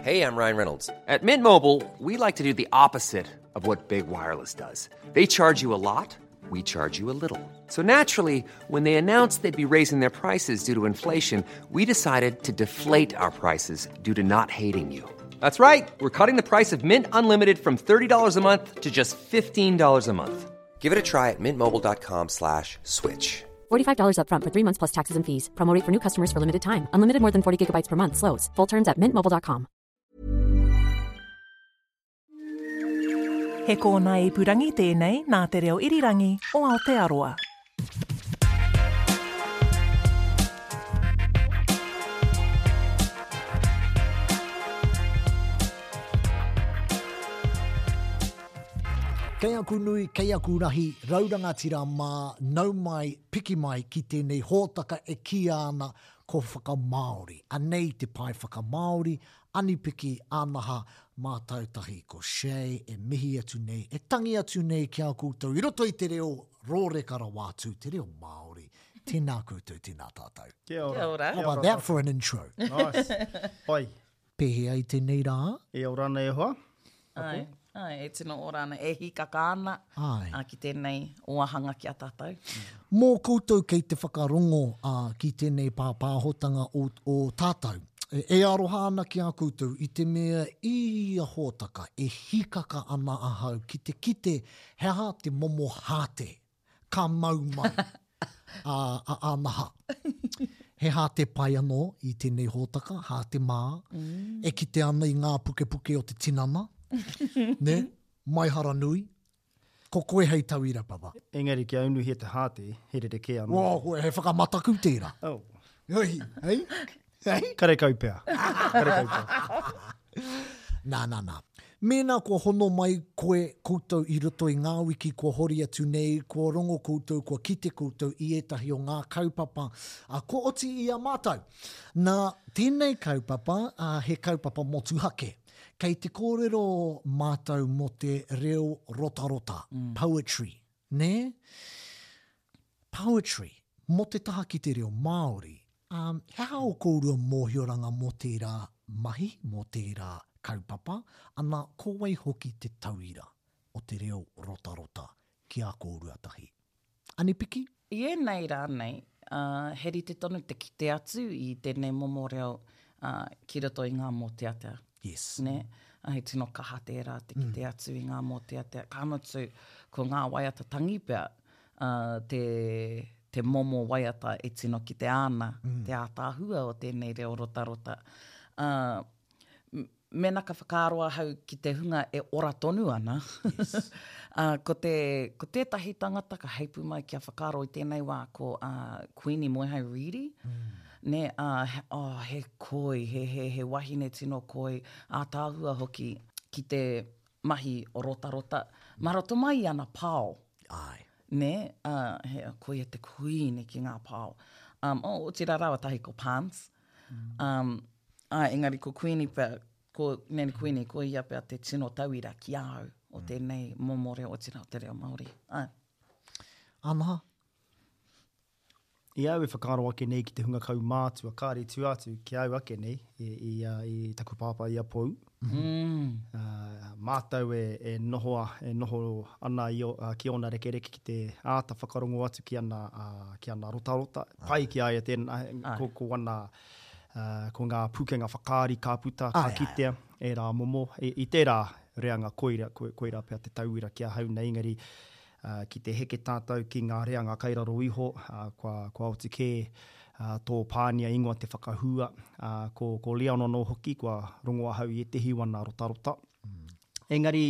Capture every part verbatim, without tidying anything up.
Hey, I'm Ryan Reynolds. At Mint Mobile, we like to do the opposite of what Big Wireless does. They charge you a lot, we charge you a little. So naturally, when they announced they'd be raising their prices due to inflation, we decided to deflate our prices due to not hating you. That's right. We're cutting the price of Mint Unlimited from thirty dollars a month to just fifteen dollars a month. Give it a try at mintmobile.com slash switch. forty-five dollars up front for three months plus taxes and fees. Promo rate for new customers for limited time. Unlimited more than forty gigabytes per month slows. Full terms at mint mobile dot com. He kōna ipurangi tēnei nā te reo irirangi o Aotearoa. Kei aku nui, kei aku rahi, raurangatira mā, nau mai, piki mai ki tēnei hōtaka e kia ana ko whakamāori. Anei te pae whakamāori, anipiki anaha mātau tahi ko Shay e mihi atu nei, e tangi atu nei ki a koutou i roto i te reo rōreka rawa atu, te reo Māori. Tēnā koutou, tēnā tātou. Kia ora. Kia ora. How about that for an intro? Nice. Pai. Pēhea i tēnei rā? E ora ana e hoa. Ai, ai, e tino ora ana, e hikaka ana. Ai. A, ki tēnei oahanga ki a tātou. Mō koutou kei te whakarongo a, ki tēnei pāpāhotanga o, o tātou. E, e aroha ana ki a koutou i te mea i a hōtaka e hikaka ana ahau ki te kite he aha te momo hāte ka mau mai a, a, anaha. He hāte pai anō i tēnei hōtaka, hāte mā, mm. e kite ana i ngā pukepuke o te tinana, ne? Maihara nui. Ko koe hei tauira, papa. Engari kia unuhia te hāte, he rerekē anō. Wā, koe, he whakamataku tērā. Oh. Hei, hei, hei. Karekau pea. Karekau pea. Nā, nā, nā. Mēnā kua hono mai koe koutou i roto i ngā wiki kua hori atu nei, kua rongo koutou, kua kite koutou i ētahi o ngā kaupapa, a, kua oti i a mātou. Nā, tēnei kaupapa, a, he kaupapa motuhake. Kei te kōrero mātou mō te reo rotarota, mm. poetry, nē? Poetry, mō te taha ki te reo Māori. Um, he aha o kōrua mōhioranga mō tērā mahi, mō tērā kaupapa, ana ko wai hoki te tauira o te reo rotarota ki a kōrua tahi. Anipiki? I ēnei rā nei, uh, he rite tonu te kite atu i tēnei momo reo uh, ki roto i ngā mōteatea. Yes. Ne? He tino kaha tērā te kite mm. atu i ngā mōteatea. Ka mutu, ko ngā waiata tangi pea, uh, te, te momo waiata e tino kite ana, mm. te ātāhua o tēnei reo rotarota. Uh, Mēnā ka whakaaro ahau ki te hunga e ora tonu ana. Yes. uh, ko, te, ko tētahi tangata ka heipu mai kia whakaaro i tēnei wā ko uh, Queenie Moehau Reedy. Mm. Ne, uh, he, oh, he koi, he, he, he wahine tino koi, ātāhua hoki ki te mahi o rotarota. Mā roto mai i ana pao. Ai. Ne, uh, he, koia te kuini ki ngā pao. Um, oh, otira rawa tahi ko Pans. Mm. Um, ai, engari ko Queenie pea, ko Nanny Queenie, ko ia pea te tino tauira ki au o tēnei momo reo, o tira o te reo Māori. Ai. Anaha? I au e whakaaro ake nei ki te hunga kaumātua, kāre tu atu ki au ake nei, i, i, i taku pāpā i a Pou. Mm. Uh, mātou e, e, noho, e noho ana i o, uh, ki ōna rekereke ki te āta whakarongo atu ki ana, uh, ki ana rotarota. Pai ki a ia tēnā, ko, ko ana... Uh, ko ngā pūkenga whakaari ka puta, ka Ai, ai. kitea, e rā momo. I, i tērā reanga koira, ko, koira pea te tauira ki ahau nei, engari uh, ki te heke tātou ki ngā reanga kairaro iho, uh, kua, kua oti kē uh, tō pānia ingoa te whakahua, uh, ko, ko Leon anō hoki, kua rongo ahau i ētehi wana rotarota. Mm. Engari,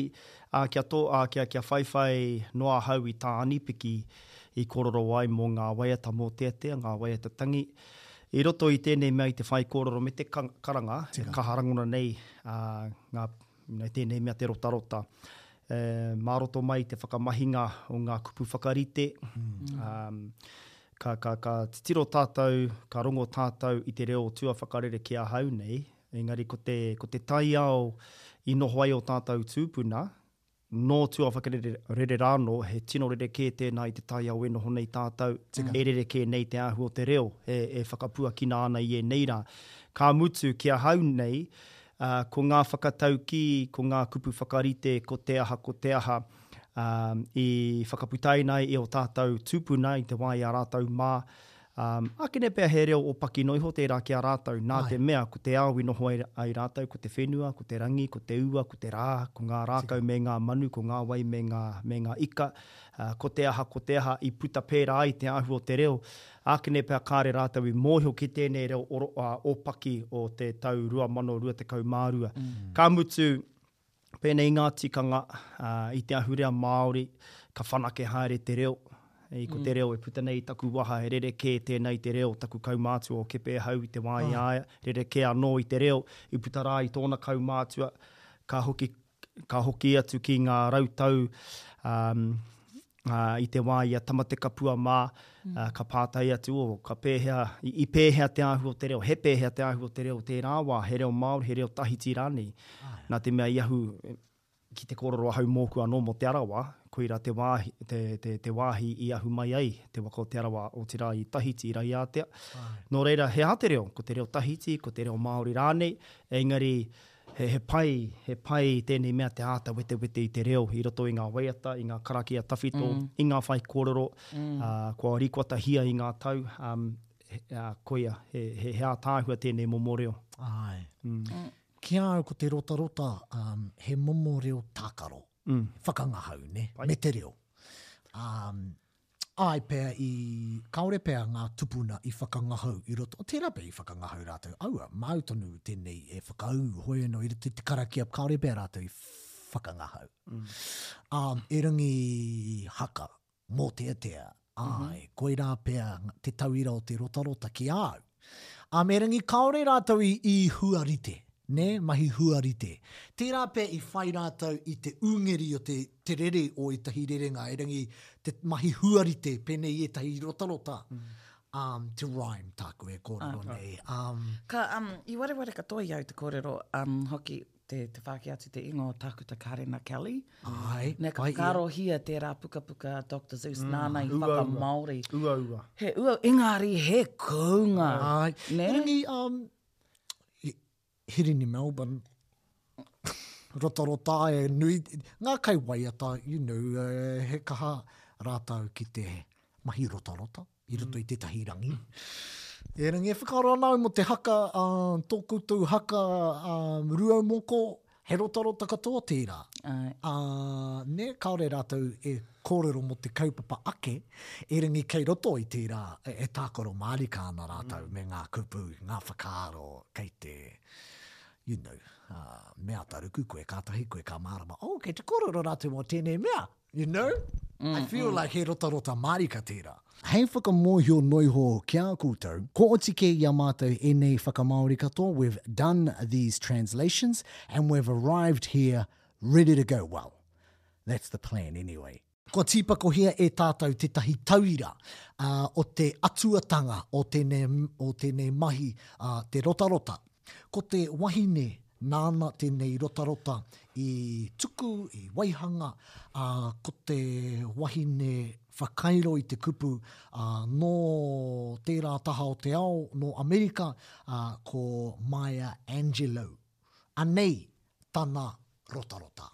uh, kia, tō, uh, kia, kia whaiwhai noa ahau i tā Anipiki i kōrero ai mō ngā waiata mōteatea, ngā waiata tangi. I roto i tēnei mea i te whai kōrero me te karanga, e kaha rangona nei uh, ngā, you know, tēnei mea te rotarota. E, mā roto mai te whakamahinga o ngā kupu whakarite. Mm. Um, ka, ka, ka titiro tātou, ka rongo tātou i te reo tua whakarere ki ahau nei, engari ko te, ko te taiao i noho ai o tātou tūpuna, nō tua whakarere rere rāno, he tino rerekē tēnā i te taiao e noho nei tātou, e rerekē nei te āhua o te reo, e, e whakapuakina ana i e nei rā. Ka mutu ki ahau nei, Uh, ko ngā whakataukī, ko ngā kupu whakarite, ko te aha, ko te aha, um, i whakaputaina ai e o tātou tūpuna i te wā i a rātou mā. Um, akene pea he reo ōpaki noa iho tērā ki a rātou, nā te mea ko te ao i noho ai, ai rātou, ko te whenua, ko te rangi, ko te ua, ko te rā, ko ngā rākau me ngā manu, ko ngā wai me ngā, me ngā ika, uh, ko te aha, ko te aha i puta pērā ai te āhua o te reo. Ākene pea kāre rātou i mōhio ki tēnei reo oro, uh, ōpaki o te tau rua mano rua tekau mā rua. Mm. Ka mutu, pēnei ngā tikanga uh, i te ahurea Māori, ka whanake haere te reo. I ko te reo e puta nei i taku waha, he rerekē tēnei te reo, taku kaumātua o Kepehau i te wā i a ia, rerekē anō i te reo, i puta rā i tōna kaumātua, ka hoki, ka hoki atu ki ngā rautau um, uh, i te wā i a Tamatekapua mā, mm. uh, ka pātai atu, oh, ka pēhea, i, i pēhea te āhua o te reo, he pēhea te āhua o te reo tērā wā, he reo Māori, he reo Tahiti rānei. Nā te mea i ahu, ki te kōrero ahau mōku anō mō Te Arawa, koira te wāhi, te, te, te wāhi i ahu mai ai te waka o Te Arawa, otirā i Tahiti, i Raiātea. Nō reira, he aha te reo? Ko te reo Tahiti, ko te reo Māori rānei, engari he, he pai, he pai tēnei mea te āta wetewete i te reo i roto i ngā waiata, i ngā karakia tawhito, mm. i ngā whaikōrero, mm. uh, kua rikoatahia i ngā tau, um, he, uh, koia, he, he, he ātaahua tēnei momo reo. Ai. Mm. Mm. Ki a au ko te rotarota, um, he momo reo tākaro, mm. whakangahau, ne? Pai. Me te reo. Um, ai pea i, kāore pea ngā tupuna i whakangahau i roto, o tērā pea i whakangahau rātou, aua, māu tonu tēnei e whakaū, hoi anō i roto i te karakia, kāore pea rātou i whakangahau. Mm. Um, erangi haka, mōteatea, ai, mm-hmm. koirā pea te tauira o te rotarota ki a au. Um, erangi kāore rātou i, i huarite, ne, mahi huarite. Tērā pea i whai rātou i te ungeri o te, te rere o ētahi rerenga, erangi te mahi huarite pēnei i ētahi rotarota, mm. um, te rhyme tāku e kōrero ah, nei. Um, ka, um, i wareware katoa i au te kōrero, um, hoki te, te whāki atu te ingoa o Tākuta Karena Kelly. Ai, Ne, ka whakaarohia tērā pukapuka Doctor Zeus mm, nāna i whakamāori. Ua, ua. He ua, engari he kounga. Ai. Ne? Erangi, um, Hirini Melbourne, rotarota e nui, ngā kai waiata, you know, he kaha rātou ki te mahi rotarota i roto i tētahi rangi. Erangi e whakaaro ana au mō te haka, uh, tō koutou haka um, Rūaumoko, he rotarota katoa tērā. Ai. Uh, ne, kāore rātou e kōrero mō te kaupapa ake, erangi kei roto i tērā e, e tākaro mārika ana rātou mm. me ngā kupu, ngā whakaaro kei te, you know, uh, mea taruku koe, kātahi koe ka mārama, oh, kei te kōrero rātou mō tēnei mea, you know? Mm, I feel mm. like he rotarota mārika tērā. Hei whakamōhio noiho ki a koutou, ko oti kē i a mātou ēnei whakamāori katoa, we've done these translations and we've arrived here ready to go. Well, that's the plan anyway. Kua tīpakohia e tātou tētahi tauira uh, o te atuatanga o tēnei, o tēnei mahi, uh, te rotarota. Ko te wahine nāna tēnei rotarota i tuku, i waihanga, uh, ko te wahine whakairo i te kupu uh, nō tērā taha o te ao, nō Amerika, uh, ko Maya Angelou. Anei tana rotarota.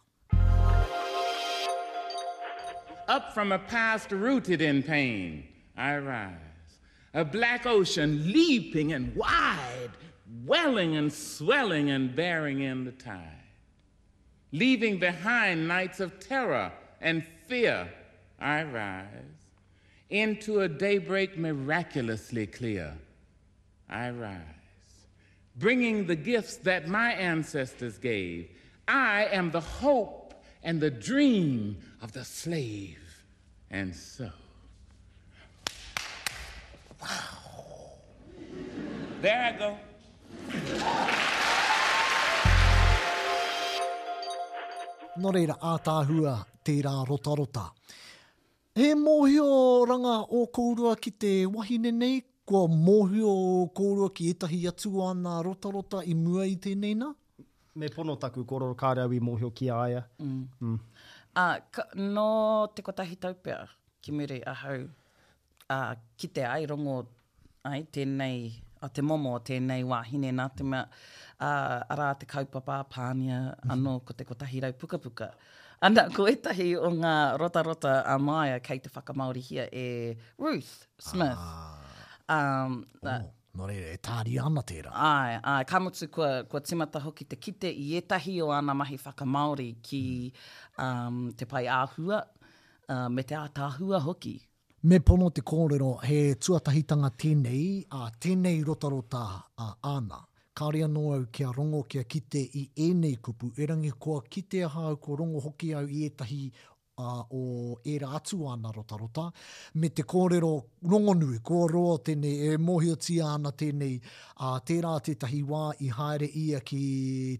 Up from a past rooted in pain, I rise. A black ocean leaping and wide, welling and swelling and bearing in the tide. Leaving behind nights of terror and fear, I rise. Into a daybreak miraculously clear, I rise. Bringing the gifts that my ancestors gave, I am the hope and the dream of the slave. And so, wow. There I go. Nō reira, ātaahua tērā rotarota. He mōhio ranga o kōrua ki te wahine nei, kua mōhio kōrua ki ētahi atu ana rotarota i mua i tēnei nā? Me pono taku kōrero kāre au i mōhio ki a ia. Mm. Mm. Uh, ka, nō te kotahi tau pea ki muri ahau uh, ki te ai rongo ai tēnei a te momo o tēnei wāhine nā te mea, ā, arā te kaupapa a Pānia anō ko te kotahi rau pukapuka. Ana, ko ētahi o ngā rotarota a Maia kei te whakamāorihia e Ruth Smith. Ah. Um, oh, nō reira, e tāria ana tērā. Āe, āe, ka mutu kua, kua timata hoki te kite i ētahi o āna mahi whakamāori ki um, te pae āhua, uh, me te ātaahua hoki. Me pono te kōrero, he tuatahitanga tēnei, ā, tēnei rotarota ā, āna. Kāore anō au kia rongo, kia kite i ēnei kupu, erangi kua kite ahau, kua rongo hoki au i ētahi ā, o ērā atu āna rotarota, me te kōrero rongonui, kua roa tēnei, e mōhiotia ana tēnei, ā, tērā tētahi wā i haere ia ki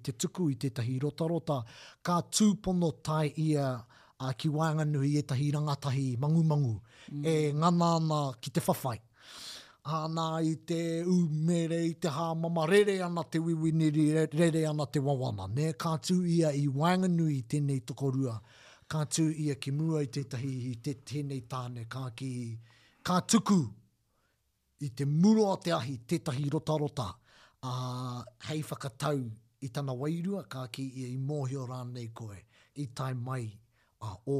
te tuku i tētahi rotarota, ka tūpono tae ia ā, ki waenganui i ētahi rangatahi mangumangu e ngana ana ki te whawhai. Ā, nā, i te umere, i te hāmama, rere ana te wiwiniri, rere ana te wawana, nē? Ka tū ia i waenganui i tēnei tokorua, ka tū ia ki mua i tētahi, i te, tēnei tāne, ka kī, ka tuku i te muro o te ahi tētahi rotarota, ā, hei whakatau i tana wairua, ka kī ia i mōhio rānei koe, i tae mai, ā, ō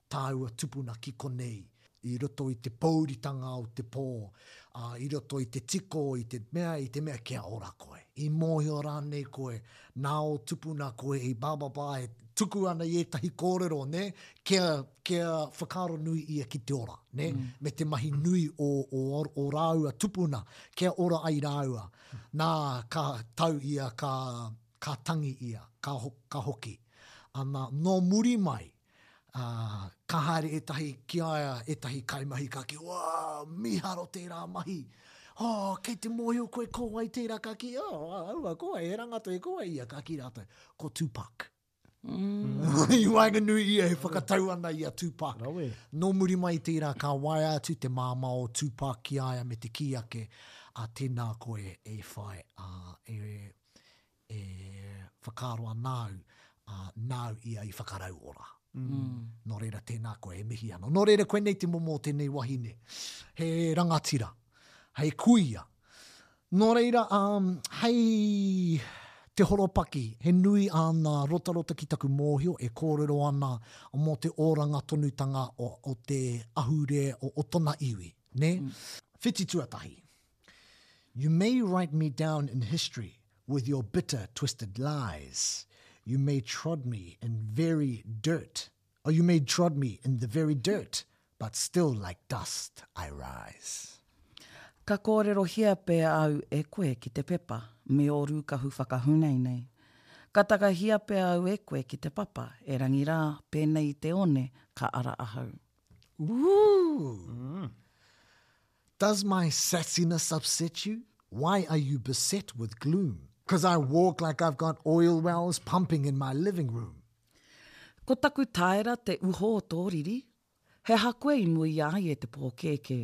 tāua tupuna ki konei, i roto i te pōuritanga o te pō, ā, i roto i te tiko, i te mea, i te mea kia ora koe. I mōhio rānei koe, nā ō tupuna koe i blah blah blah, e tuku ana i ētahi kōrero, nē, kia, kia whakaaro nui ia ki te ora, nē, mm. me te mahi nui o, o, o rāua tupuna, kia ora ai rāua. Nā, ka tau ia, ka, ka tangi ia, ka, ho, ka hoki. Ana, nō muri mai, ā, ka haere ētahi ki a ia, ētahi kaimahi ka kī, Wā, mīharo tērā mahi! Oh, kei te mōhio koe ko wai tērā? Ka kī, Oh, aua, ko wai, he rangatahi, ko wai ia? Ka kī rātou, Ko Tupac. Mm. I waenganui ia e whakatau ana i a Tupac. Rawe. Nō muri mai i tērā ka waea atu te māmā o Tupac ki a ia me te kī ake, ā, tēnā koe e whai, ā, e, e whakaaro ana au, ā, nāu ia i whakarauora. Mm. Nō reira, tēnā koe, e mihi ana. Nō reira, koinei te momo o tēnei wahine. He rangatira, hei kuia. Nō reira, um, hei te horopaki, he nui āna rotarota ki taku mōhio e kōrero ana mō te oranga tonutanga o, o te ahurea o, o tona iwi, nē? Mm. Whiti tuatahi. You may write me down in history with your bitter, twisted lies. You may trod me in very dirt, or you may trod me in the very dirt, but still like dust I rise. Ka kōrerohia pea au e koe ki te pepa me ō rūkahu whakahūneinei. Ka takahia pea au e koe ki te papa, erangi rā, pēnei i te one, ka ara ahau. Ooh! Does my sassiness upset you? Why are you beset with gloom? Cause I walk like I've got oil wells pumping in my living room. Ko taku taera te uho o tō riri, He aha koe i muia ai e te pōkēkē?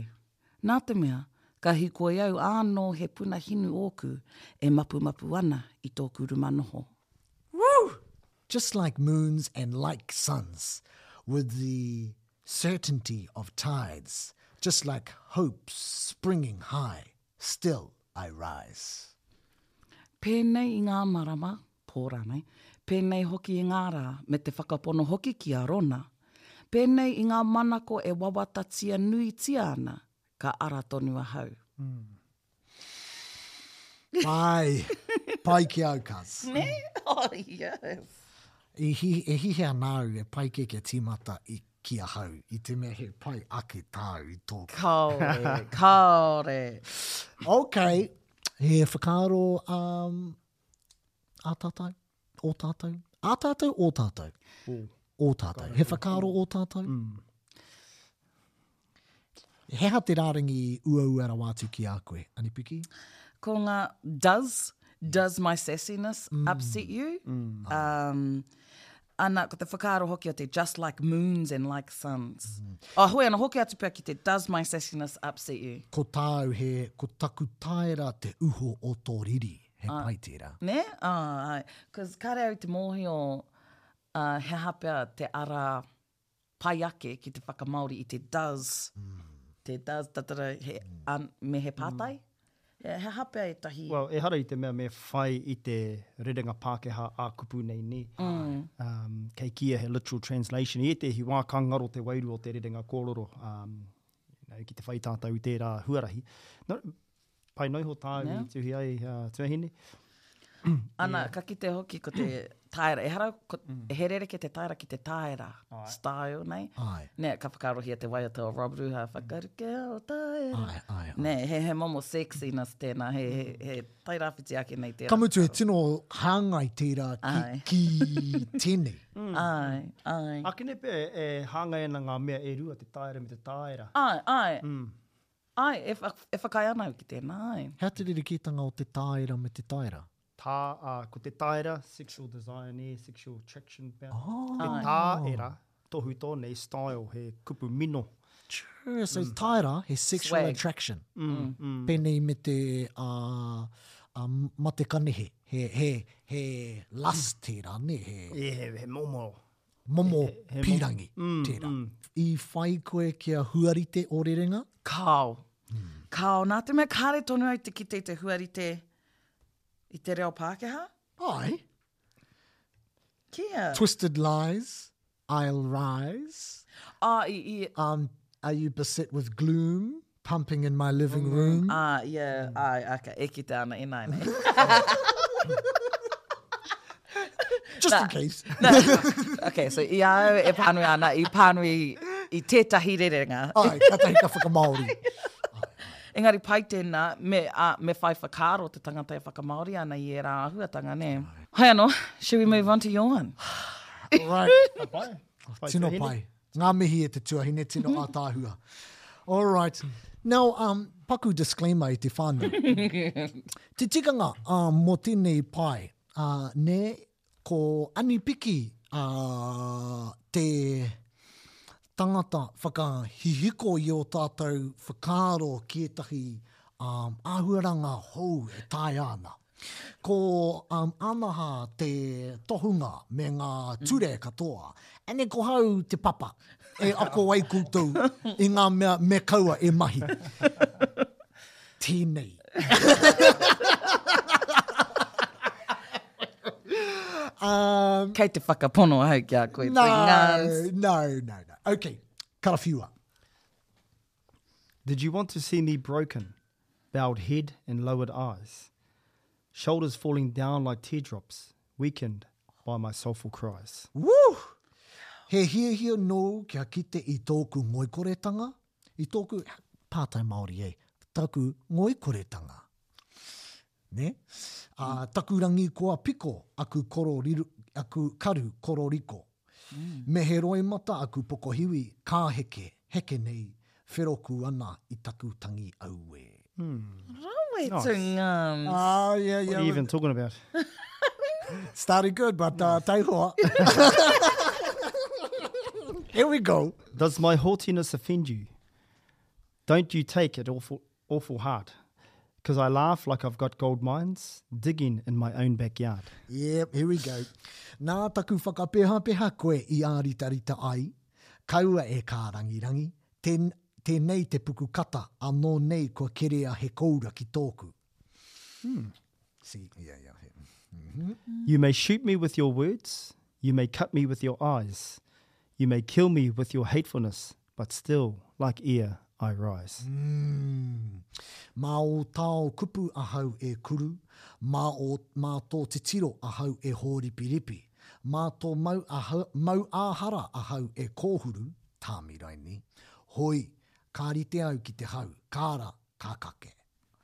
Nā te mea, ka hikoi au ānō he puna hinu ōku e mapumapu ana i tōku ruma noho. Woo! Just like moons and like suns, with the certainty of tides, just like hopes springing high, still I rise. Pēnei i ngā marama, pō rānei, pēnei hoki i ngā rā, me te whakapono hoki ki a Rona, pēnei i ngā manako e wawatatia nuitia ana, ka ara tonu ahau. Pai! Pai ki au, cuz. Nē? Oh, yes. I hi, e hihia ana au e pai kē kia tīmata i ki ahau, i te mea he pai ake tāu i tōku. Kāore, kāore. Ok, he whakaaro um, ā tātou, ō tātou, ā tātou, ō tātou. Ō. Ō tātou. He whakaaro ō tātou? Mm. He aha te rārangi uaua rawa atu ki a koe, Anipiki? Ko ngā does, does my sassiness mm. upset you? Mm. Um, ana, ko te whakaaro hoki o te just like moons and like suns. Mm. Oh, hoi ana, hoki atu pea ki te does my sassiness upset you? Ko tāu he, ko taku taera te uho o tō riri. He uh, pai tērā. Nē? Oh, ai. Cause kāre au te mōhio uh, he aha pea te ara pai ake ki te whakamāori i te does, mm. te does, da, da, da, he, mm. an, me he pātai. Mm. Yeah, he aha pea ētahi. Well, ehara i te mea me whai i te rerenga Pākehā ā-kupu nei, nē. Mm. Um, kei kīia he literal translation. I ētehi wā ka ngaro te wairua o te rerenga kōrero, um, you know, ki te whai tātou i tērā huarahi. No, pai noa iho tāu Yeah. i tuhi ai, uh, tuahine. Ana, ka kite hoki ko te taera. Ehara, ko, he rerekē te taera ki te taera style nei. Ai. Nē, ka whakaarohia te waiata o Rob Ruha, whakaruke o taera. Ai, ai, ai. Nē, he, he momo sexiness tēnā, he, he, he tairāwhiti ake nei tērā. Ka mutu he tino hāngai tērā ki, Ai. ki tēnei. Ai, ai. Akene pea e hāngai ana ngā mea e rua, te taera me te tāera. Ai, ai. Ai, e, wha, e whakaae ana au ki tēnā, ai. He aha te rerekētanga o te tāera me te taera? Tā, uh, ko te taera, sexual desire, nē, sexual attraction pea. Oh. Te tāera, tohu tō nei, style, he kupu mino. Sure, so taera, he sexual Swag. attraction. Mm. Mm. Pēnei me te uh, uh, mate kanehe. He, he, he lust tērā, ne? He E, he, he momo. momo he momo- pīrangi tērā. I whai koe kia huarite o rerenga? Kao. Kao, nā te mea kāre tonu au te kite i te huarite i te reo Pākehā. Ai. Kia. Twisted lies, I'll rise. Ah, i, i, Um, are you beset with gloom, pumping in my living room? ah, yeah, ai, okay, e kite ana ināianei. Just in case. Okay, so i a au e pānui ana, i pānui i tētahi rerenga. Ai, katahi ka whakamāori. Engari pai tēnā, me, uh, me whai whakaaro te tangata e whakamāori ana i ērā āhuatanga, nē. Hai anō, should we move on to your one? Right. Pai. Pai Tino tuahine. pai. Ngā mihi e te tuahine, tino ātaahua. All right. Now, um, paku disclaimer i te whānau. Te tikanga um, mō tēnei pai, uh, nē, ko Anipiki uh, te tangata whakahihiko i o tātou whakaaro ki ētahi um, āhuaranga hou e taea ana. Ko um, Anaha te tohunga me ngā ture katoa. Ane ko hau te papa e ako ai koutou i ngā mea me kaua e mahi. Tēnei. um, Kei te whakapono ahau ki a koe. no, Ngāns. no, no, no. Okay, karawhiua. Did you want to see me broken, bowed head and lowered eyes, shoulders falling down like teardrops, weakened by my soulful cries? Woo! He hiahia nōu kia kite i tōku ngoikoretanga, i tōku, pātai Māori e, taku ngoikoretanga. Ne? Uh, taku rangi koa piko, aku, koro riru, aku karu kororiko. Mm. Me he roimata aku pokohiwi, ka heke, heke nei, wheroku ana i taku tangi aue. Rawe tu ngāns. Ah, yeah, yeah. What are you even talking about? Started good, but uh, taihoa. Here we go. Does my haughtiness offend you? Don't you take it awful, awful hard? Because I laugh like I've got gold mines digging in my own backyard. Yep, here we go. Nā taku whakapehapeha koe i āritarita ai, kaua e kārangirangi, ten, tēnei te puku kata, anō nei kua kerea he koura ki tōku. Hmm. See, yeah, yeah. yeah. You may shoot me with your words, you may cut me with your eyes, you may kill me with your hatefulness, but still, like air, I rise. Mm. Mā o tao kupu ahau e kuru, mā, o, mā tō titiro ahau e hōripiripi, mā tō mau, ahau, mau āhara ahau e kōhuru, tāmiraini, hoi, ka rite au ki te hau, kāra, ka kake.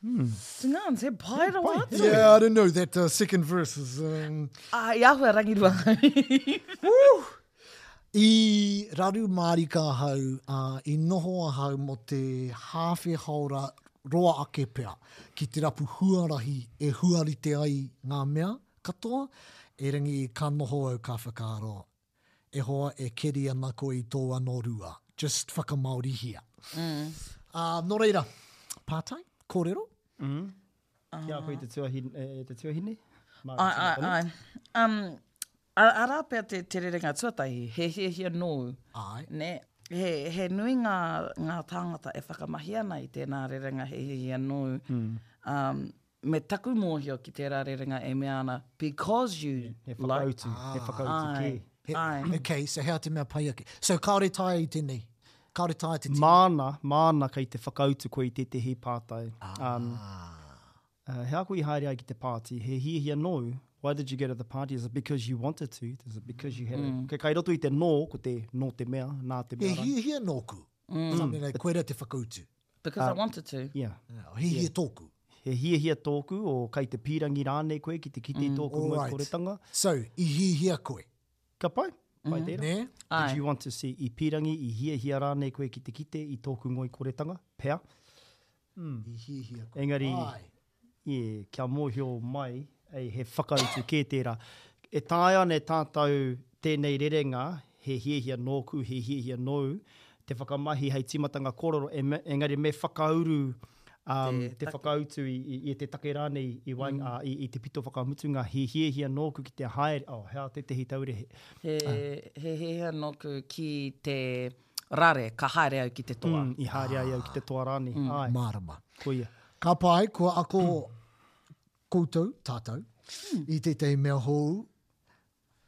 Tu ngāns, he pai rawa atu. Yeah, I don't know, that uh, second verse is... Um... Ah, i ahua rangirua. I raru mārika ahau, uh, i noho ahau mō te hāwhe haora roa ake pea, ki te rapu huarahi e huarite ai ngā mea katoa, erangi ka noho au ka whakaaro. E hoa e keri ana koe i tō anō rua. Just whakamāorihia. Mm. Uh, nō reira, pātai, kōrero? Kia koe te tuahine, e, te tuahine? Māra Ai, ai, tino ai. Um, a- arā pea te, te rerenga tuatahi, he hiahia nōu. Ai. Nē, He, he nui ngā, ngā tāngata e whakamahi ana i tēnā rerenga he hiahia nōu. Mm. Um, me taku mōhio ki tērā rerenga e mea ana, because you He whakautu, like. he whakautu Ai. kē. He, Ai. okay, so hea te mea pai ake. So kāore taea i tēnei? Kāore taea te tino? Māna, māna kei te whakautu koe i tētehi pātai. Um, uh, he aha koe i haere ai ki te pāti, he hiahia nōu, why did you go to the party? Is it because you wanted to? Is it because you had mm. a... Kei, kai roto i te nō, ko te nō te mea, nā te He mea. rānei. hiahia nōku. Mm. Something like, koira te whakautu. Because uh, I wanted to. Yeah. He hiahia tōku. He hiahia tōku, o kai te pīrangi rānei koe ki te kite mm. tōku All right. ngoikoretanga. So, i hiahia koe. Ka pai, pai mm. tērā. Nē? Did you want to see i pīrangi, i hiahia rānei koe ki te kite i tōku ngoikoretanga? Pea. I hiahia koe. Engari, Ai. yeah, kia mōhio mai, ei, he whakautu kē tērā. E taea ana e tātou tēnei rerenga, he hiahia nōku, he hiahia nōu, te whakamahi hei tīmatanga kōrero, e me- engari me whakauru um, Te te, take. whakautu i, i, i te take rānei i, waenga, mm. i, i te pito whakamutunga, he hiahia nōku ki te haere, oh, hea tētehi taure he. He, he hiahia nōku ki te rare, ka haere au ki te toa. Mm, i haere ai au ki te toa rānei. Mm. Ai, Mārama. koia. Ka pai, kua ako koutou, tātou, i tētahi mea hou,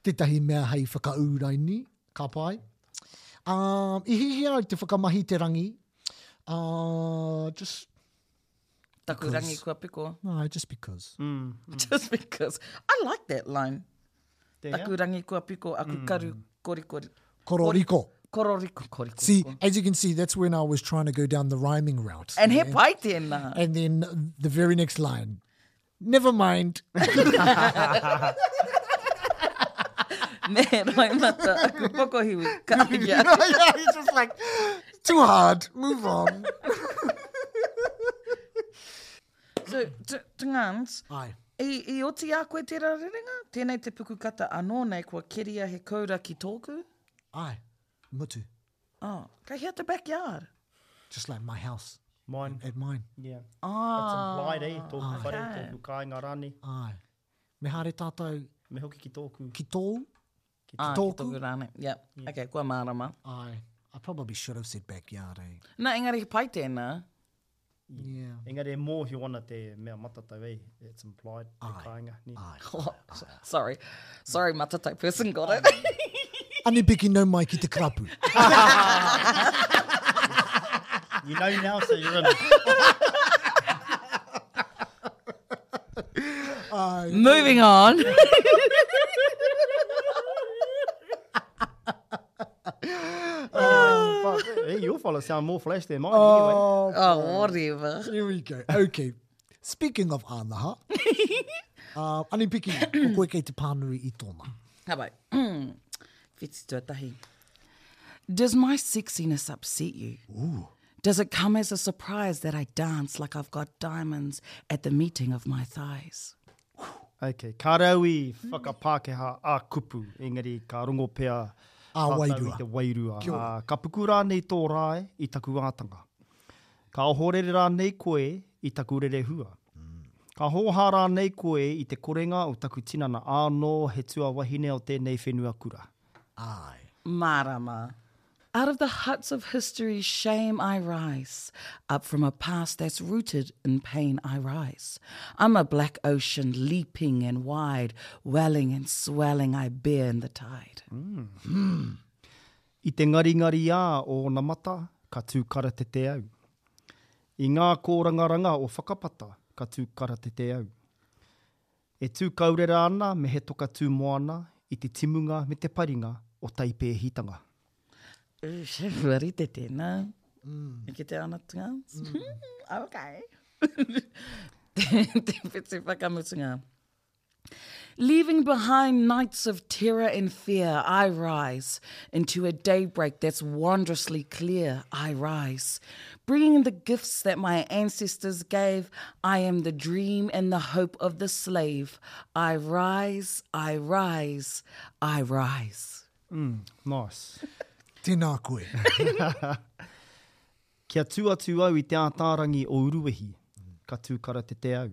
tētahi mea hei whakaūraini, ka pai. Um, i hihia au te whakamahi te rangi, uh, just, Taku rangi kua piko. no, just because. Mm. Just because. I like that line. Te hea? Taku rangi kua piko, aku karu korikori. Kororiko. Kororiko, koriko. See, as you can see, that's when I was trying to go down the rhyming route. And he pai tēnā. And then the very next line, never mind. Me roimata aku pokohiwi. Ka ia. yeah, it's just like, too hard, move on. So, t- Tungans, Ai. i, i oti a koe tērā rerenga? Tēnei te pukukata anō nei kua keria he koura ki tōku? Ai. Mutu. Oh, kei hea te backyard? Just like my house. Mine. At mine. Yeah. Ah, That's implied, eh? Tōku whare, tōku kāinga rānei. Ai. Me haere tātou Me hoki ki tōku. ki tōu. ah, ki tōku. tōku rānei. Yep. Okay, kua mārama. Ai. I probably should have said backyard, eh? Nā, engari he pai tēnā. Yeah. Engari e mōhio ana te mea matatau, eh? It's implied, te Ai. kāinga. Nē. Ai. Oh, sorry. Sorry, matatau person got it. Ani piki nau mai ki te karapu. You know now, so you're in. Moving on. Oh, fuck. Hey, your fella sound more flash than mine, anyway. Oh, whatever. Here we go. Okay. Speaking of anaha, uh, ani piki, ko koe kei te pānui i tōna. How about Whiti tuatahi. Does my sexiness upset you? Ooh. Does it come as a surprise that I dance like I've got diamonds at the meeting of my thighs? Okay, ka rau i whakapākehā a kupu, engari ka rongo pea A tātou wairua. i te wairua. Kia ora. Ā, ka puku rānei tō rae i taku ātanga. Ka ohorere rānei koe i taku rerehua. Ka hōhā rānei koe i te korenga o taku tinana ānō he tuawahine o tēnei whenua kura. Ai. Marama. Out of the huts of history's shame I rise. Up from a past that's rooted in pain I rise. I'm a black ocean leaping and wide, welling and swelling I bear in the tide. I te ngaringari ā o ōna mata, ka tū karatete au. I ngā kōrangaranga o whakapata, ka tū karatete au. E tū kaurera ana me he toka tū moana i te timunga me te paringa o taipēhitanga. Rite tēnā. Mm. E ki te ana tungans. Mm. Okay. te, te whiti whakamutunga. Leaving behind nights of terror and fear, I rise into a daybreak that's wondrously clear. I rise, bringing the gifts that my ancestors gave. I am the dream and the hope of the slave. I rise, I rise, I rise. Nice. Tēnā koe. Kia tū atu au i te ātārangi o Uruwehi, ka tū karatete au.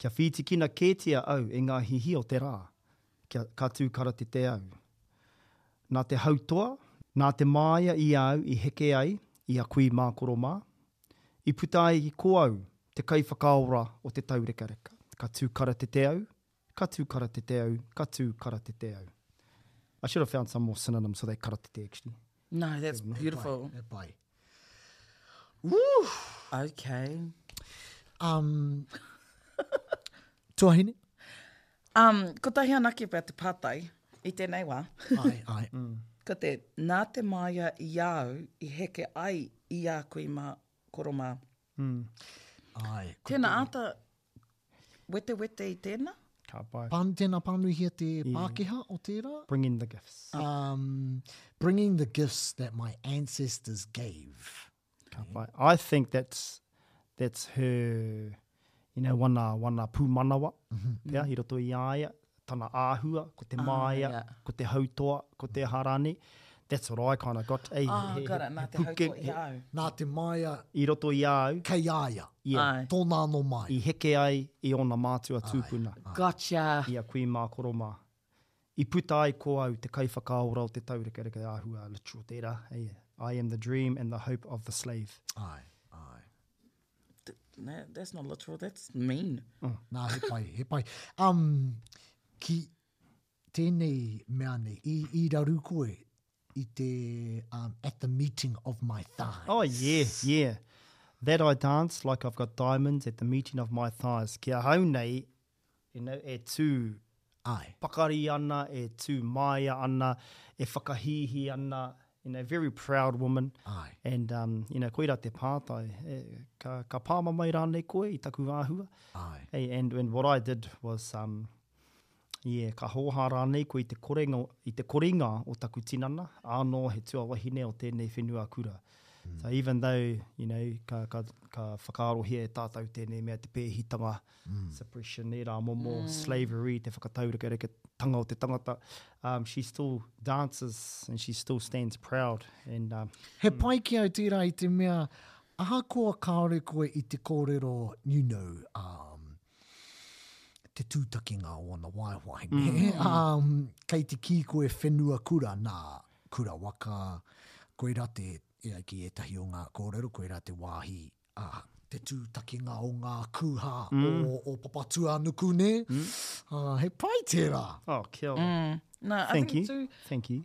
Kia whītikina kētia au e ngā hihi o te rā, kia, ka tū karatete au. Nā te hautoa, Nā te māia i au i heke ai i a kui mā koro mā, i puta ai ko au te kaiwhakaora o te taurekareka. Ka tū karatete au, ka tū karatete au, ka tū karatete au. I should have found some more synonyms for that karatete actually. No, that's beautiful. E pai. Woo! Okay. Um, tuahine? Um, kotahi anake pea te pātai i tēnei wā. Ai, ai. Ko te, nā te māia i au i heke ai i a kui mā, koro mā. Ai. Tēnā āta wete wete i tēnā? Ka pai. Pānu, tēnā pānuihia te Pākehā o tērā? Bring in the gifts. Um, bringing the gifts that my ancestors gave. Ka pai. I think that's that's her, you know, wana, wana pūmanawa, pea, i roto i a ia, tana āhua, ko te māia, yeah. ko te hautoa, ko te harani. That's what I kind of got. Ei, Oh, he, got it. he, Nā te puke- hautoa i a au. Nā te māia I roto i a au, kei a ia. yeah, Ai. Tōna anō mai. i heke ai i ōna mātua tūpuna, Gotcha. i a kui mā koro mā. I puta ai ko au te kaiwhakaora o te taurekareka āhua literal tērā. Hey, I am the dream and the hope of the slave. Ai, ai. No, that's not literal, that's mean. Nā, he pai, he pai. Um, ki tēnei mea nei, i, i raru koe i te, um, at the meeting of my thighs. Oh, yeah, yeah. That I dance like I've got diamonds at the meeting of my thighs. Ki ahau nei, you know, e tū Ai. pakari ana, e tū māia ana, e whakahihi ana, you know, very proud woman. Ai. And, um, you know, koira te pātai, e, ka, ka pāma mai rānei koe i taku āhua. Ai. Hey, and, and what I did was, um, yeah, ka hōhā rānei koe i te korenga, i te koringa o taku tinana, ānō he tuawahine o tēnei whenua kura. Mm. So even though, you know, ka, ka, ka whakaarohia e tātou tēnei mea te pēhitanga, mm. suppression, e rā momo, mm. slavery, te whakataurekereketanga o te tangata, um, she still dances and she still stands proud. And, um, He pai ki au tērā i te mea, ahakoa kāore koe i te kōrero, you know, um, te tūtakinga o ana waewae. Mm. um, kei te kī koe whenua kura, nā, kura waka, koe rā te, e ai ki ētahi o ngā kōrero, koe rā te wāhi, ah, te tūtakinga o ngā kūhā mm. o, o Papatūānuku, nē? Mm. Uh, he pai tērā. oh, kia ora. Mm. No, I Thank think you. too, Thank you.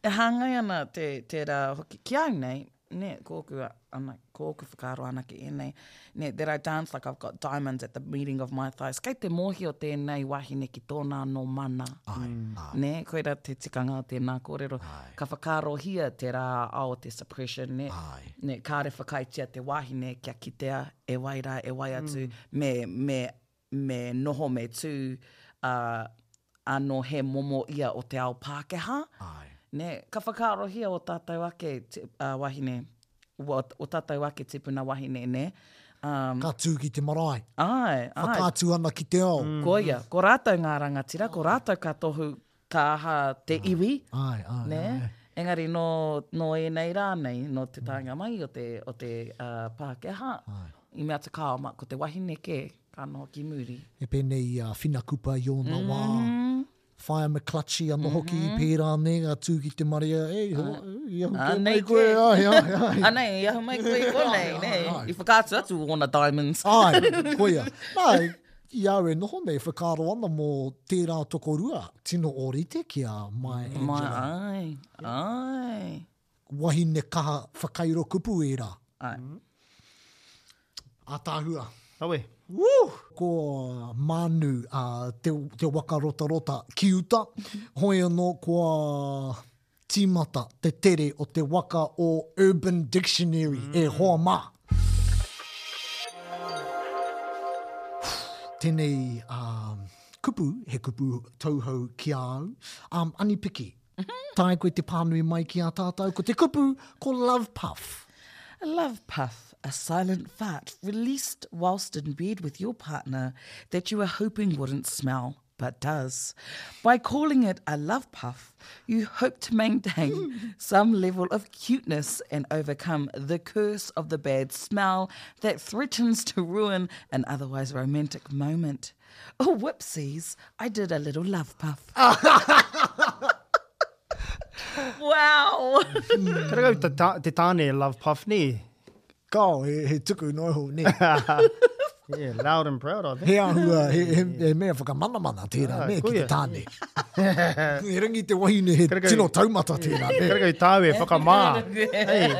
e hāngai ana te, tērā hoki. Ki au nei, ne, kōku, ana, kōku whakaaro ana ki ēnei, ne, that I dance like I've got diamonds at the meeting of my thighs. Kei te mōhio tēnei wahine ki tōna anō mana. Ai, ai. Ne, koira te tikanga o tēnā kōrero. Ka whakaarohia te rā ao te suppression, ne, Ai. ne, kāre whakaaetia te wahine kia kitea e wai rā, e wai atu, mm. me, me, me noho me tū, uh, anō he momo ia o te ao Pākehā. Ai. Ne, ka whakaarohia o tātou ake ti, uh, wahine, o, o tātou ake tipuna wahine, ne? Um, Ka tū ki te marae. ai, ai. Whakaatu ana ki te ao. Mm. Ko ia, ko rātou ngā rangatira, ko rātou ka tohu ka aha te iwi, Ai, ai, ne? ai. Engari nō, nō ēnei rā nei, nō te taenga mai o te, o te uh, Pākehā, i mea te kao, ma, ko te wahine kē, ka noho ki muri. E pēnei i a Whina Kupa i ōna mm. wā. Whaia McClutchy anō hoki i pērā ne, a tū ki te marea, ei, ho, i ahu kē mai Anei koe, kē. ai, ai, ai. Anei, i ahu mai koe i konei, Ai, ne? ai, ai. I whakaatu atu ōna diamonds. Ai, koia. Nā, i au e noho nei, whakaaro ana mō tērā tokorua, tino ōrite ki a Maya Mai, Angelou. ai, ai. Wahine kaha whakairo kupu e rā. Ai. Ātāhua. Awe. Woo! Ko Manu uh, te, te waka rotarota ki uta. Hoi anō kua tīmata te tere o te waka o Urban Dictionary mm. e hoa mā. Tēnei um, kupu, he kupu tauhou ki a au. Um, Anipiki, tae koe te pānui mai ki a tātou. Ko te kupu, ko Love Puff. A love puff, a silent fart released whilst in bed with your partner that you were hoping wouldn't smell, but does. By calling it a love puff, you hope to maintain some level of cuteness and overcome the curse of the bad smell that threatens to ruin an otherwise romantic moment. Oh, whoopsies, I did a little love puff. Wow! Karekau te, ta, te tāne love puff, nē? Kao, he, he tuku noa iho, nē. Yeah, loud and proud, I think. He āhua, he, he, he mea whakamanamana tērā, Ah, nē, ki te koia. tāne. He rangi te wahine, he Karekau- tino taumata tērā, nē. Karekau tāu e whakamā. Hey,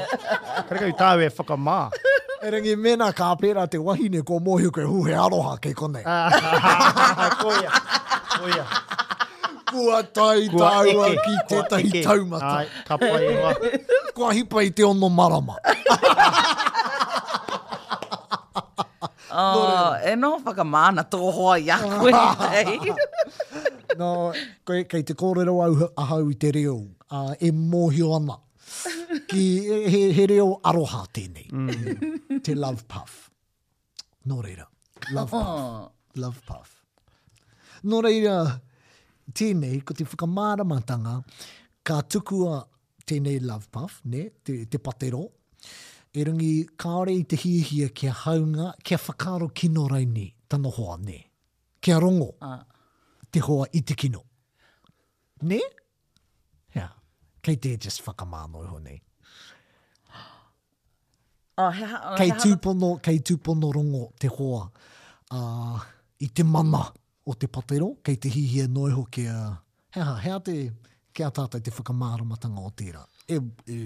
karekau tāu e whakamā. E rangi mēnā ka pērā te wahine, ko mōhio koe, hu, he aroha kei konei. Koia, koia. Kua tae Kua tāua eke, ki kua tētahi eke. taumata. Ai, ka pai e hoa. Kua hipa i te ono marama. Oh, e noho whakamā ana tō hoa i a koe. Nei. No, koe, kei te kōrero au, ahau i te reo, uh, e mōhio ana. Ki, he, he reo aroha tēnei. Mm. Te love puff. Nō reira, love puff. Love puff. Nō reira, tēnei, ko te whakamāramatanga, ka tukua tēnei love puff, ne, te, te patero, e rangi kāore i te hiahia kia haunga, kia whakaaro kino raini tana hoa, ne. Kia rongo te hoa i te kino. Ne? Yeah. Kei te just whakamāno iho nei. Oh, he ha, Kei he ha- tūpono, kei tūpono rongo te hoa uh, i te mana o te patero, kei te hihia noa iho kia, he aha, he aha te, kia tātou te whakamāramatanga o tērā. E, e,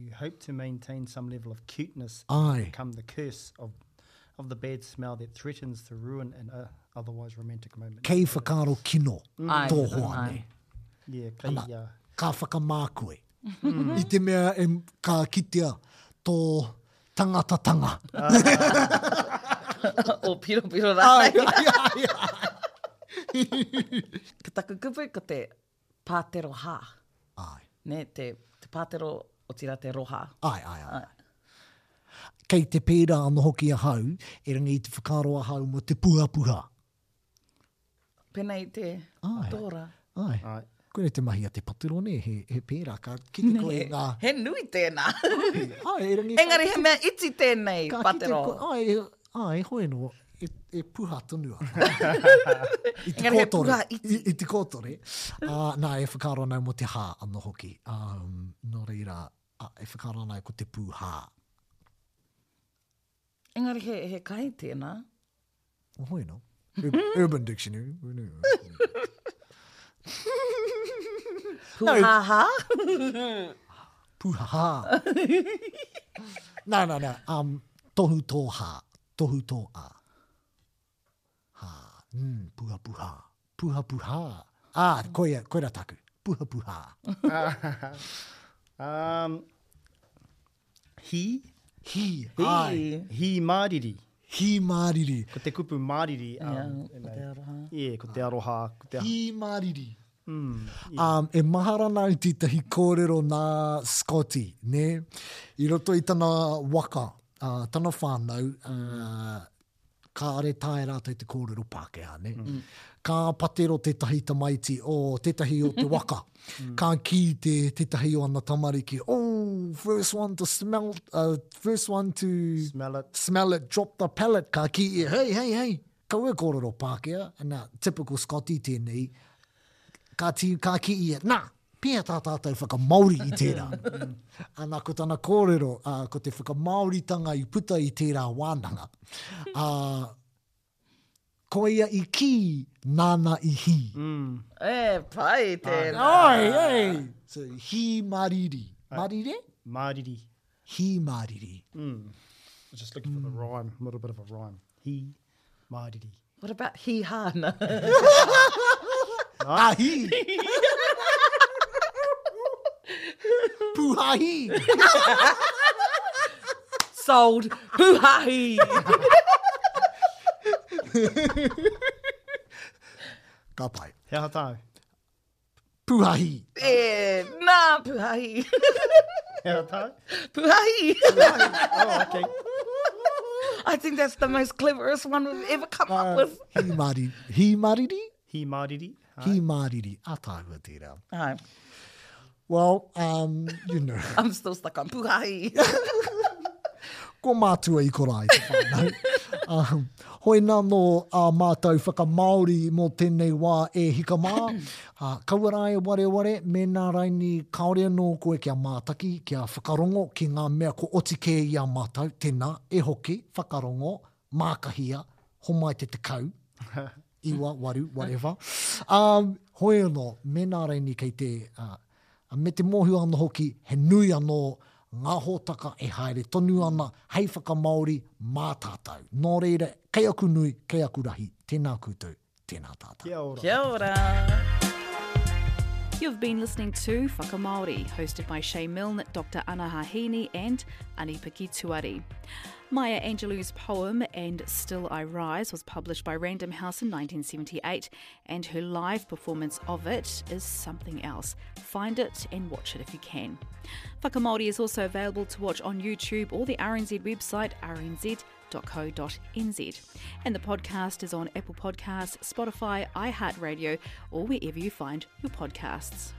You hope to maintain some level of cuteness Ai. and overcome the curse of, of the bad smell that threatens to ruin an uh, otherwise romantic moment. Kei whakaaro kino Ai, tō hoa, ai. ne. Yeah, kei, Ana, uh, ka whakamā koe. I te mea e, ka kitea tō tangatatanga. O piro piro Ai, rānei. ai, ai, ai. Ko taku kupu, ko te pātero hā. Ai. Ne, te, te pātero o tira te roha. Ai, ai, ai. Kei te pērā anō hoki ahau, e rangi i te whakaaro ahau mo te puhapuha. Pēnei te Ai. tōra. Ai. Ai. Koe te mahi a te patero ne, he, he pērā, ka kite koe i ngā... He nui tēnā. Ai, e rangi... Engari he mea iti tēnei, ka kite patero. koe, ai, ai, hoi no, e, e puha tonu ana. I te Engari he kōtore. puha iti. I, i te kōtore. Uh, nā, e whakaaro nau mo te hā anō hoki. Um, nō reira, a, e whakaaro nau ko te pūhā. Engari he, he kai tēnā. O hoi no. Ur- Urban Dictionary. Puha hā? Pūhā. Nā, nā, nā. Um, tohu tō hā. Tohu tō a. Hā. Mm, puha puha. Puha puha. Ah, koia, koira taku. Puha puha. Um, hi, Hi. Ai. hi māriri. Hi māriri. Ko te kupu māriri. Um, Ko te aroha. Yeah, ko te aroha. Ko te, Hi māriri. Um, e mahara nā i tētahi kōrero nā Scotty, ne? I roto i tana waka, uh, tana whānau, uh, kāre tae rātou te kōrero Pākehā, ne? Mm. Ka patero tētahi tamaiti o tētahi o te waka. Ka kī te tētahi o ana tamariki, oh, first one to smell, uh, first one to Smell it. smell it, drop the pallet. Ka kī ia, hey, hey, hey, kaua e kōrero Pākehā. Nā, typical Scotty tēnei, ka, tī, ka ki ia, nā, pia tā tātou whakamaori i tērā. Ana, ko tana kōrero, uh, ko te whakamaoritanga i puta i tērā wānanga. Uh, ko ia i kī, nāna i hī. Mm. E, pai tēnā. Ai, ai. So, hī mariri. Marire? Māriri. Hī mariri. Mm. I was just looking for the rhyme, a little bit of a rhyme. Hi māriri. What about hi hāna? Ah, hī. Puha hī. Sold. Puhahi. Ka pai. He aha tāu? Puha hī. E, nā, puhahi. He aha tāu? Puhahi. Oh, okay. I think that's the most cleverest one we've ever come up with. Hī mariri. Hī mariri? Hi māriri. Hī māriri. A tāua tērā. Ai, Well, um, you know, I'm still stuck on puhahi. ko mātua i korai te whānau. Um, hoi nā nō a mātou whakamāori mō tēnei wā e hika mā. Uh, kaua rā e wareware, mēnā raini kāore anō koe kia mātaki, kia whakarongo ki ngā mea ko oti kē i a mātou, tēnā, e hoki, whakarongo, mākahia, homai te tekau, iwa, waru, whatever. Um, hoi anō, mēnā raini kei te, uh, me te mōhio anō hoki, he nui anō ngā hōtaka e haere tonu ana hei whakamāori mā tātou. Nō reira, kei aku nui, kei aku rahi, tēnā koutou, tēnā tātou. Kia ora. Kia ora. You've been listening to Whakamāori, hosted by Shay Milne, Doctor Anaha Hiini and Ani-Piki Tuari. Maya Angelou's poem, And Still I Rise, was published by Random House in nineteen seventy-eight, and her live performance of it is something else. Find it and watch it if you can. Whakamāori is also available to watch on YouTube or the R N Z website, r n z dot co dot n z. And the podcast is on Apple Podcasts, Spotify, iHeartRadio, or wherever you find your podcasts.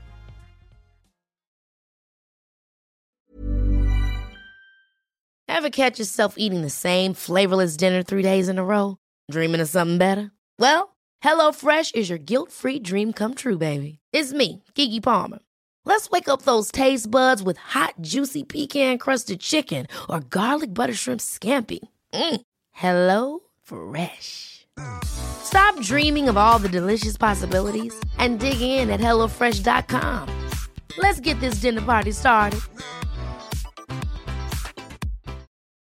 Ever catch yourself eating the same flavorless dinner three days in a row? Dreaming of something better? Well, HelloFresh is your guilt-free dream come true, baby. It's me, Keke Palmer. Let's wake up those taste buds with hot, juicy pecan-crusted chicken or garlic butter shrimp scampi. Mm. Hello Fresh. Stop dreaming of all the delicious possibilities and dig in at HelloFresh dot com. Let's get this dinner party started.